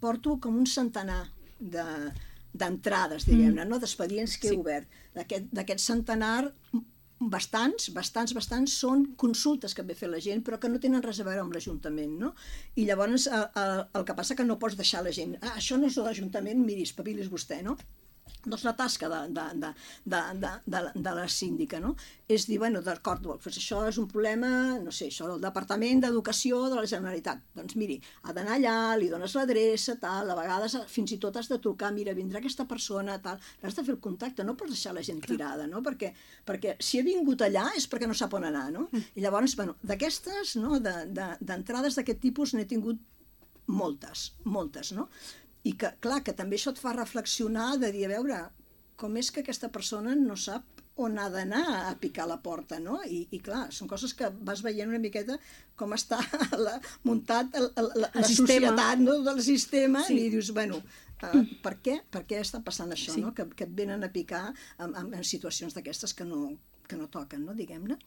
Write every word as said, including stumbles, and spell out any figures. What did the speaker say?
porto com un centenar de d'entrades, diguem-ne, no? D'expedients que he obert. D'aquest centenar, bastants, bastants, bastants són consultes que ve fer la gent, però que no tenen res a veure amb l'Ajuntament, no? I llavors el, el, el que passa que no pots deixar la gent, ah, això no és de l'Ajuntament, miri, espavilis vostè, no? Doncs la tasca de, de, de, de, de, de, de la síndica, no? És dir, bueno, d'acord, doncs això és un problema, no sé, això del Departament d'Educació de la Generalitat. Doncs miri, ha d'anar allà, li dones l'adreça, tal, a vegades fins i tot has de trucar, mira, vindrà aquesta persona, tal, has de fer el contacte, no pots deixar la gent tirada, no? Perquè, perquè si ha vingut allà és perquè no sap on anar, no? I llavors, bueno, d'aquestes, no?, d'entrades d'aquest tipus n'he tingut moltes, moltes, no? I que, clar, que també això et fa reflexionar de dir, a veure, com és que aquesta persona no sap on ha d'anar a picar la porta, no? I, i clar, són coses que vas veient una miqueta com està la, muntat el, el, la, la societat, no?, del sistema, sí. I dius, bueno, uh, per què? Per què està passant això, sí. No? Que, que et venen a picar en, en, en situacions d'aquestes que no, que no toquen, no?, diguem-ne.